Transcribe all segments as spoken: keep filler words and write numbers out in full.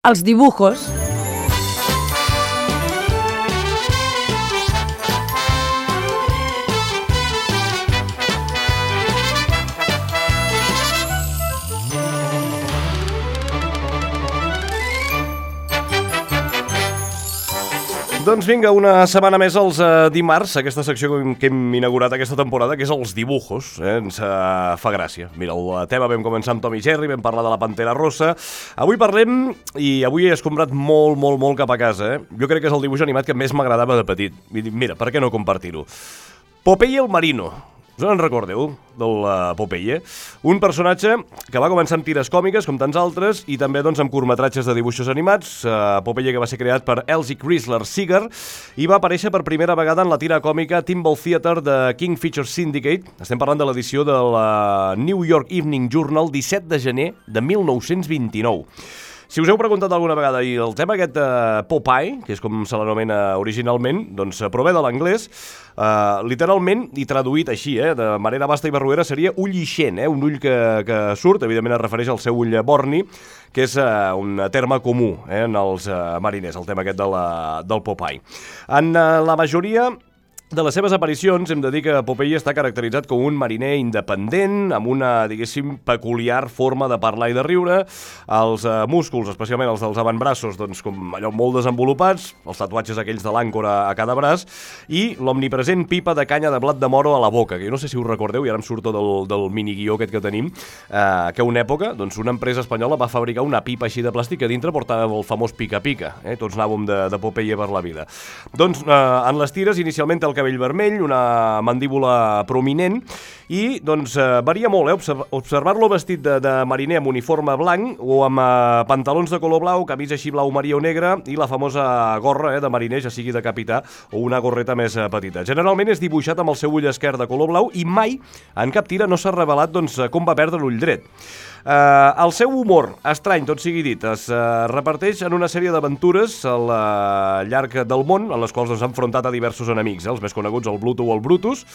Els dibujos. Doncs vinga, una setmana més els uh, dimarts, aquesta secció que hem inaugurat aquesta temporada, que és els dibujos, eh? Ens uh, fa gràcia. Mira, el tema vam començar amb Tom i Jerry, vam parlar de la Pantera Rossa. Avui parlem, i avui he escombrat molt, molt, molt cap a casa, eh? Jo crec que és el dibuix animat que més m'agradava de petit. Mira, per què no compartir-ho? Popeye el Marino. Us en recordeu, del uh, Popeye? Un personatge que va començar amb tires còmiques, com tants altres, i també doncs, amb curtmetratges de dibuixos animats. Uh, Popeye que va ser creat per Elzie Chrysler Seeger i va aparèixer per primera vegada en la tira còmica Timbal Theater de King Features Syndicate. Estem parlant de l'edició de la New York Evening Journal, disset de gener de mil nou-cents vint-i-nou. Si us heu preguntat alguna vegada, i el tema aquest uh, Popeye, que és com se l'anomena originalment, doncs prové de l'anglès, uh, literalment, i traduït així, eh, de manera basta i barruera, seria ull ixent, eh, un ull que, que surt, evidentment es refereix al seu ull borni, que és uh, un terme comú eh, en els uh, mariners, el tema aquest de la, del Popeye. En uh, la majoria de les seves aparicions hem de dir que Popeye està caracteritzat com un mariner independent, amb una, diguéssim, peculiar forma de parlar i de riure, els eh, músculs, especialment els dels avantbraços, doncs com allò molt desenvolupats, els tatuatges aquells de l'àncora a cada braç, i l'omnipresent pipa de canya de blat de moro a la boca, que jo no sé si us recordeu, i ara em surto del, del miniguió aquest que tenim, eh, que una època, doncs una empresa espanyola va fabricar una pipa així de plàstic que dintre portava el famós pica-pica, eh? Tots anàvem de, de Popeye per la vida. Doncs eh, en les tires, inicialment el cabell vermell, una mandíbula prominent, i doncs eh, varia molt, eh? Observar-lo vestit de, de mariner amb uniforme blanc o amb eh, pantalons de color blau, camisa així blau marí o negra i la famosa gorra eh, de mariner, ja sigui de capità o una gorreta més eh, petita. Generalment és dibuixat amb el seu ull esquerre de color blau i mai en cap tira no s'ha revelat doncs, com va perdre l'ull dret. Uh, el seu humor, estrany, tot sigui dit, es uh, reparteix en una sèrie d'aventures al uh, llarg del món, en les quals doncs, s'ha enfrontat a diversos enemics, eh? Els més coneguts, el Bluto o el Brutus.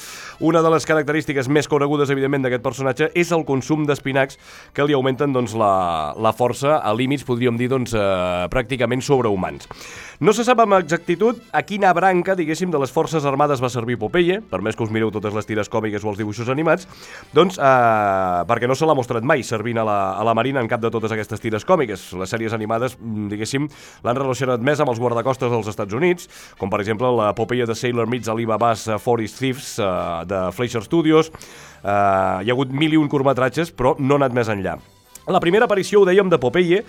Una de les característiques més conegudes, evidentment, d'aquest personatge és el consum d'espinacs que li augmenten doncs, la, la força a límits, podríem dir, doncs, uh, pràcticament sobrehumans. No se sap amb exactitud a quina branca, diguéssim, de les forces armades va servir Popeye, per més que us mireu totes les tires còmiques o els dibuixos animats, doncs, uh, perquè no se l'ha mostrat mai servint a la, a la Marina en cap de totes aquestes tires còmiques. Les sèries animades, diguéssim, l'han relacionat més amb els guardacostes dels Estats Units, com per exemple la Popeye de Sailor Meets Alibaba's uh, Forest Thieves uh, de Fleischer Studios. Uh, hi ha hagut mil i un curtmetratges, però no ha anat més enllà. La primera aparició, ho dèiem, de Popeye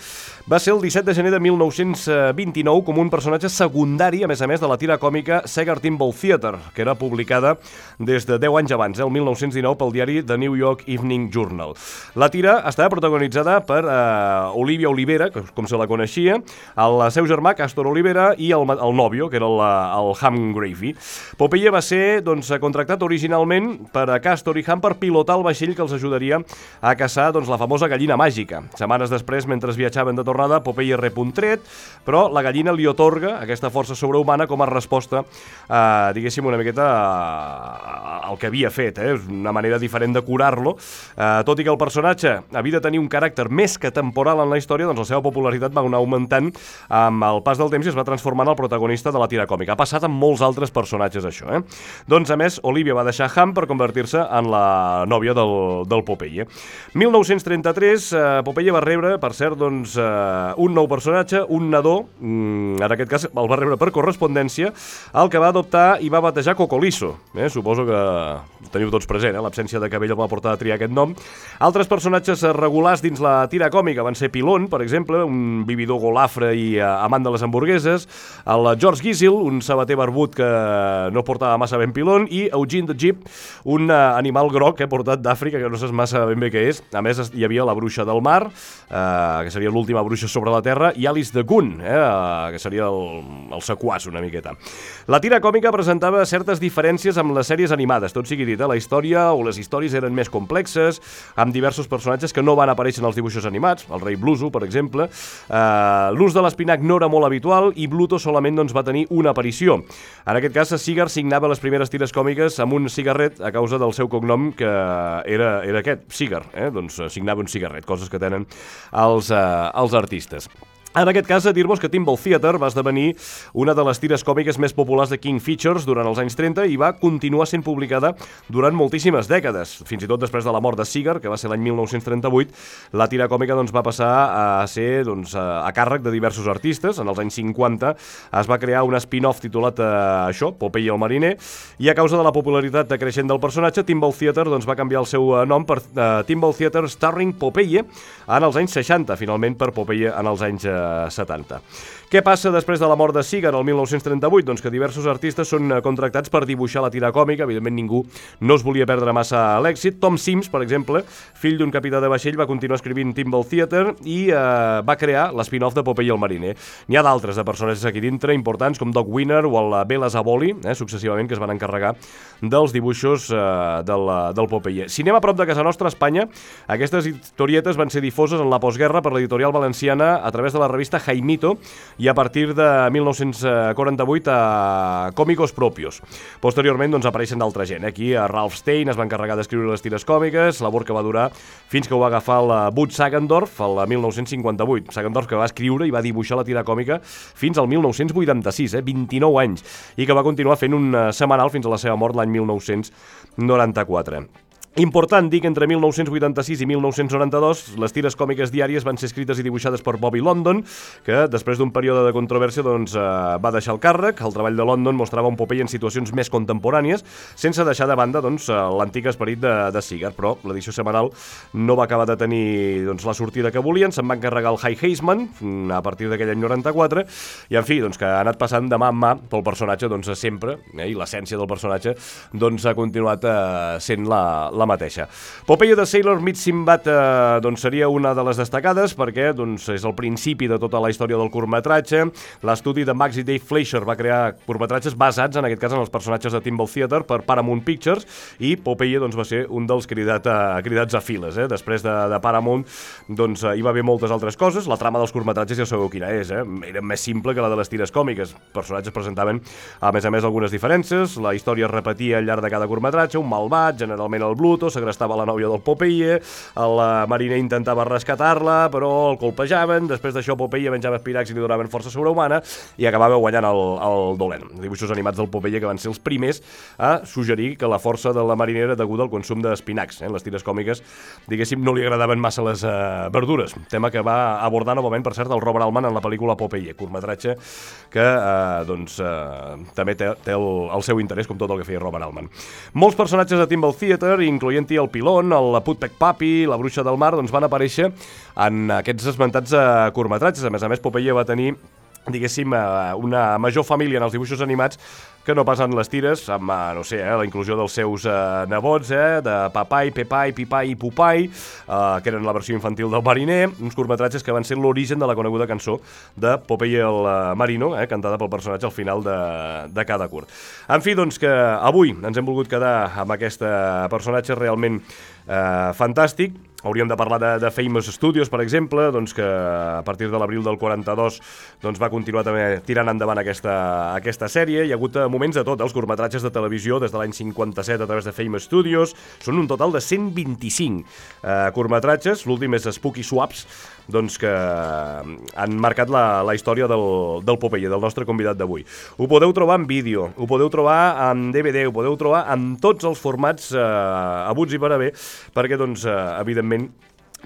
va ser el disset de gener de mil nou-cents vint-i-nou com un personatge secundari, a més a més, de la tira còmica Seeger Timbal Theater, que era publicada des de deu anys abans, eh, el mil nou-cents dinou, pel diari The New York Evening Journal. La tira estava protagonitzada per eh, Olivia Olivera, que, com se la coneixia, el seu germà, Castor Olivera, i el, el nòvio, que era el, el Ham Gravy. Popeye va ser doncs, contractat originalment per a Castor i Ham per pilotar el vaixell que els ajudaria a caçar doncs, la famosa gallina màgica. Màgica. Setmanes després, mentre viatjaven de tornada, Popeye rep un tret, però la gallina li otorga aquesta força sobrehumana com a resposta, eh, diguéssim, una miqueta eh, al que havia fet. Eh? És una manera diferent de curar-lo. Eh, tot i que el personatge havia de tenir un caràcter més que temporal en la història, doncs la seva popularitat va anar augmentant amb el pas del temps i es va transformar en el protagonista de la tira còmica. Ha passat amb molts altres personatges, això. Eh? Doncs, a més, Olivia va deixar Ham per convertir-se en la nòvia del, del Popeye. mil nou-cents trenta-tres, Popeye va rebre, per cert, doncs, uh, un nou personatge, un nadó, mm, en aquest cas el va rebre per correspondència, el que va adoptar i va batejar Cocolizo. Eh? Suposo que teniu tots present, eh? L'absència de cabell el va portar a triar aquest nom. Altres personatges regulars dins la tira còmica van ser Pilon, per exemple, un vividor golafre i uh, amant de les hamburgueses, el George Gizzil, un sabater barbut que no portava massa ben pilon, i Eugene the Jeep, un uh, animal groc que ha portat d'Àfrica, que no saps massa ben bé què és. A més, hi havia la bruixa del mar, eh, que seria l'última bruixa sobre la Terra, i Alice de Gun, eh, que seria el, el sequàs una miqueta. La tira còmica presentava certes diferències amb les sèries animades, tot sigui dit, eh? La història o les històries eren més complexes, amb diversos personatges que no van aparèixer en els dibuixos animats, el rei Bluso, per exemple. Eh, L'ús de l'espinac no era molt habitual i Bluto solament doncs, va tenir una aparició. En aquest cas, Seeger signava les primeres tires còmiques amb un cigarret a causa del seu cognom, que era, era aquest, Seeger, eh? Doncs signava un cigarret, coses que tenen els, eh, els artistes. En aquest cas, a dir-vos que Timbal Theatre va esdevenir una de les tires còmiques més populars de King Features durant els anys trenta i va continuar sent publicada durant moltíssimes dècades. Fins i tot després de la mort de Seeger, que va ser l'any mil nou-cents trenta-vuit, la tira còmica doncs, va passar a ser doncs, a càrrec de diversos artistes. En els anys cinquanta es va crear un spin-off titulat eh, això, Popeye el mariner, i a causa de la popularitat creixent del personatge, Timbal Theatre doncs, va canviar el seu nom per eh, Timbal Theatre Starring Popeye en els anys seixanta, finalment per Popeye en els anys eh, setanta. Què passa després de la mort de Seeger el mil nou-cents trenta-vuit? Doncs que diversos artistes són contractats per dibuixar la tira còmica. Evidentment ningú no es volia perdre massa l'èxit. Tom Sims, per exemple, fill d'un capità de vaixell, va continuar escrivint Timbal Theatre i eh, va crear l'spin-off de Popeye el mariner. N'hi ha d'altres de personatges aquí dintre importants com Doc Winner o el Bela Zavoli, eh, successivament, que es van encarregar dels dibuixos eh, del, del Popeye. Si anem a prop de casa nostra, a Espanya, aquestes historietes van ser difoses en la postguerra per l'editorial valenciana a través de la revista Jaimito i a partir de mil nou-cents quaranta-vuit a Cómicos Propios. Posteriorment doncs, apareixen d'altra gent. Aquí a Ralph Stein es va encarregar d'escriure les tires còmiques, labor que va durar fins que ho va agafar el Butch Sagendorf el mil nou-cents cinquanta-vuit. Sagendorf que va escriure i va dibuixar la tira còmica fins al mil nou-cents vuitanta-sis, eh, vint-i-nou anys, i que va continuar fent un setmanal fins a la seva mort l'any mil nou-cents noranta-quatre. Important dir que entre mil nou-cents vuitanta-sis i mil nou-cents noranta-dos les tires còmiques diàries van ser escrites i dibuixades per Bobby London, que després d'un període de controvèrsia doncs, eh, va deixar el càrrec. El treball de London mostrava un Popeye en situacions més contemporànies, sense deixar de banda doncs, l'antic esperit de, de Seeger, però l'edició setmanal no va acabar de tenir doncs, la sortida que volien. Se'n va encarregar el High Heisman a partir d'aquell any noranta-quatre, i en fi, doncs, que ha anat passant de mà en mà pel personatge doncs, sempre, eh, i l'essència del personatge doncs, ha continuat eh, sent la, la mateixa. Popeye de Sailor meets Sinbad eh, doncs seria una de les destacades perquè doncs, és el principi de tota la història del curtmetratge. L'estudi de Max i Dave Fleischer va crear curtmetratges basats, en aquest cas, en els personatges de Timbal Theatre per Paramount Pictures, i Popeye doncs, va ser un dels cridat a, cridats a files. Eh? Després de, de Paramount doncs, hi va haver moltes altres coses. La trama dels curtmetratges ja sabeu quina és. Eh? Era més simple que la de les tires còmiques. Els personatges presentaven, a més a més, algunes diferències. La història es repetia al llarg de cada curtmetratge. Un malvat, generalment el Bluto, estava la nòvia del Popeye, el mariner intentava rescatar-la, però el colpejaven. Després d'això Popeye menjava espinacs i li donaven força sobrehumana i acabava guanyant el, el dolent. Dibuixos animats del Popeye que van ser els primers a suggerir que la força de la marina era deguda al consum d'espinacs. Eh? Les tires còmiques, diguéssim, no li agradaven massa les uh, verdures, tema que va abordar novament, per cert, el Robert Altman en la pel·lícula Popeye, curtmetratge que uh, doncs, uh, també té, té el, el seu interès, com tot el que feia Robert Altman. Molts personatges de Timbal Theatre, incloent-hi el Pilon, el Putpec Papi, la Bruixa del Mar, doncs van aparèixer en aquests esmentats uh, curtmetratges. A més a més, Popeye va tenir, diguéssim, uh, una major família en els dibuixos animats que no passen les tires, amb, no sé, eh, la inclusió dels seus eh, nebots, eh, de Papai, Pepai, Pipai i Pupai, eh, que eren la versió infantil del mariner, uns curtmetratges que van ser l'origen de la coneguda cançó de Popeye el uh, Marino, eh, cantada pel personatge al final de, de cada curt. En fi, doncs que avui ens hem volgut quedar amb aquest personatge realment eh, fantàstic. Hauríem de parlar de, de Famous Studios, per exemple, doncs que a partir de l'abril del quaranta-dos doncs va continuar també tirant endavant aquesta, aquesta sèrie. Hi ha hagut moments de tot, eh? Els curtmetratges de televisió des de l'any cinquanta-set a través de Famous Studios. Són un total de cent vint-i-cinc eh, curtmetratges. L'últim és Spooky Swaps, doncs que han marcat la, la història del, del Popeye, del nostre convidat d'avui. Ho podeu trobar en vídeo, ho podeu trobar en D V D, ho podeu trobar en tots els formats eh, abuts i per haver, perquè, doncs, eh, evidentment,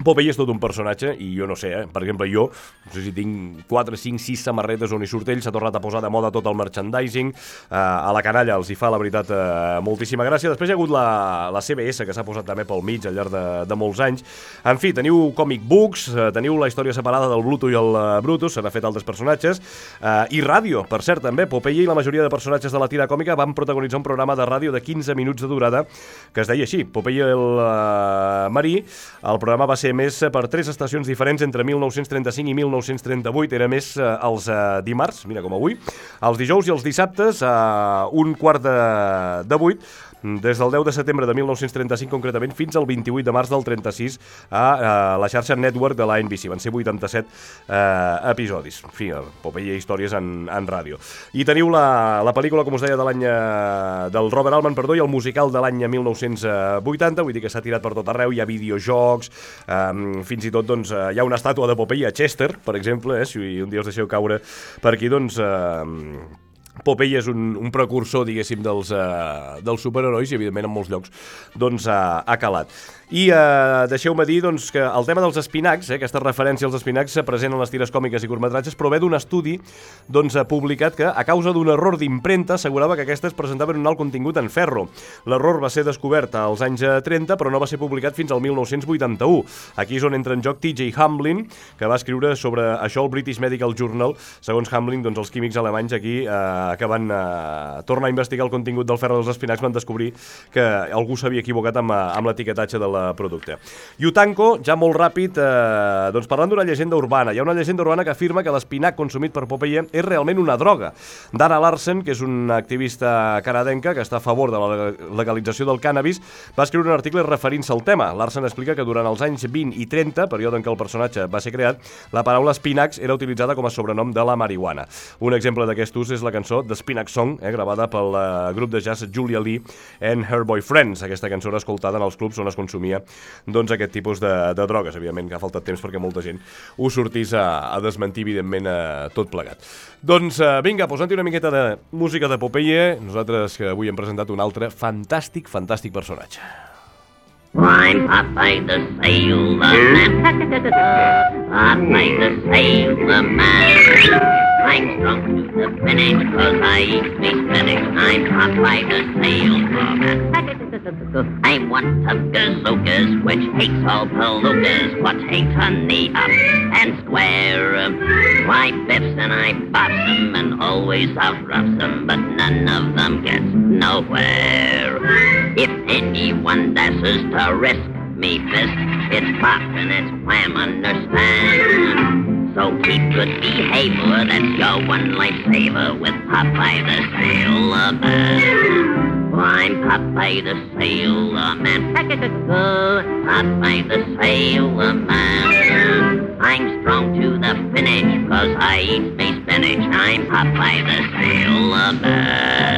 Popeye és tot un personatge i jo no sé, eh? Per exemple, jo no sé si tinc quatre, cinc, sis samarretes on hi surt ell, s'ha tornat a posar de moda tot el merchandising, eh, a la canalla els hi fa, la veritat, eh, moltíssima gràcia. Després hi ha hagut la, la C B S, que s'ha posat també pel mig al llarg de, de molts anys. En fi, teniu comic books, eh, teniu la història separada del Bluto i el uh, Brutus, s'han fet altres personatges, eh, i ràdio, per cert, també. Popeye i la majoria de personatges de la tira còmica van protagonitzar un programa de ràdio de quinze minuts de durada, que es deia així, Popeye el uh, Marí. El programa va ser més per tres estacions diferents entre mil nou-cents trenta-cinc i mil nou-cents trenta-vuit. Era més eh, els eh, dimarts, mira com avui, els dijous i els dissabtes a eh, un quart de, de vuit, des del deu de setembre de mil nou-cents trenta-cinc concretament fins al vint-i-vuit de març del trenta-sis a, a la xarxa Network de la N B C. Van ser vuitanta-set eh, episodis. En fi, Popeye històries en, en ràdio. I teniu la, la pel·lícula, com us deia, de l'any eh, del Robert Altman, perdó, i el musical de l'any mil nou-cents vuitanta, vull dir que s'ha tirat per tot arreu. Hi ha videojocs, eh, eh, fins i tot doncs, hi ha una estàtua de Popeye a Chester, per exemple, eh, si un dia us deixeu caure per aquí, doncs... Eh, Popeye és un, un precursor, diguéssim, dels, uh, dels superherois i, evidentment, en molts llocs doncs, uh, ha calat. I uh, deixeu-me dir doncs, que el tema dels espinacs, eh, aquesta referència als espinacs, se present en les tires còmiques i curtmetratges, però ve d'un estudi doncs, uh, publicat que, a causa d'un error d'impremta, assegurava que aquestes presentaven un alt contingut en ferro. L'error va ser descobert als anys trenta, però no va ser publicat fins al mil nou-cents vuitanta-u. Aquí és on entra en joc T J Hamlin, que va escriure sobre això al British Medical Journal. Segons Hamlin, doncs, els químics alemanys aquí eh, que van eh, tornar a investigar el contingut del ferro dels espinacs van descobrir que algú s'havia equivocat amb, amb l'etiquetatge del producte. I ho tanco, ja molt ràpid, eh, doncs parlant d'una llegenda urbana. Hi ha una llegenda urbana que afirma que l'espinac consumit per Popeye és realment una droga. Dana Larsen, que és una activista canadenca que està a favor de la legalització del cànnabis, va escriure un article referint-se al tema. Larsen explica que durant els anys vint i trenta, període en què el personatge va ser creat, la paraula espinacs era utilitzada com a sobrenom de la marihuana. Un exemple d'aquest ús és la cançó The Spinac Song, eh, gravada pel uh, grup de jazz Julia Lee and Her Boyfriends. Aquesta cançó era escoltada en els clubs on es consumia doncs, aquest tipus de, de drogues. Evidentment que ha faltat temps perquè molta gent ho sortís a, a desmentir, evidentment, a tot plegat. Doncs uh, vinga, posant-hi una miqueta de música de Popeye, nosaltres que avui hem presentat un altre fantàstic, fantàstic personatge. I'm Popeye the Sailor Man. Popeye the Sailor Man. I'm strong to the finish, cause I eat me spinach. I'm Popeye the Sailor Man. I'm one of gazookas, which hates all palookas, but hates honey up and square. I biffs and I bops them and always outroughs them, but none of them gets nowhere. If anyone dashes to risk me fist, it's pop and it's wham, understand? So keep good behavior, that's your one lifesaver with Popeye the Sailor Man. I'm Popeye the Sailor Man. Popeye the Sailor Man. I'm strong to the finish, cause I eat me spinach. I'm Popeye the Sailor Man.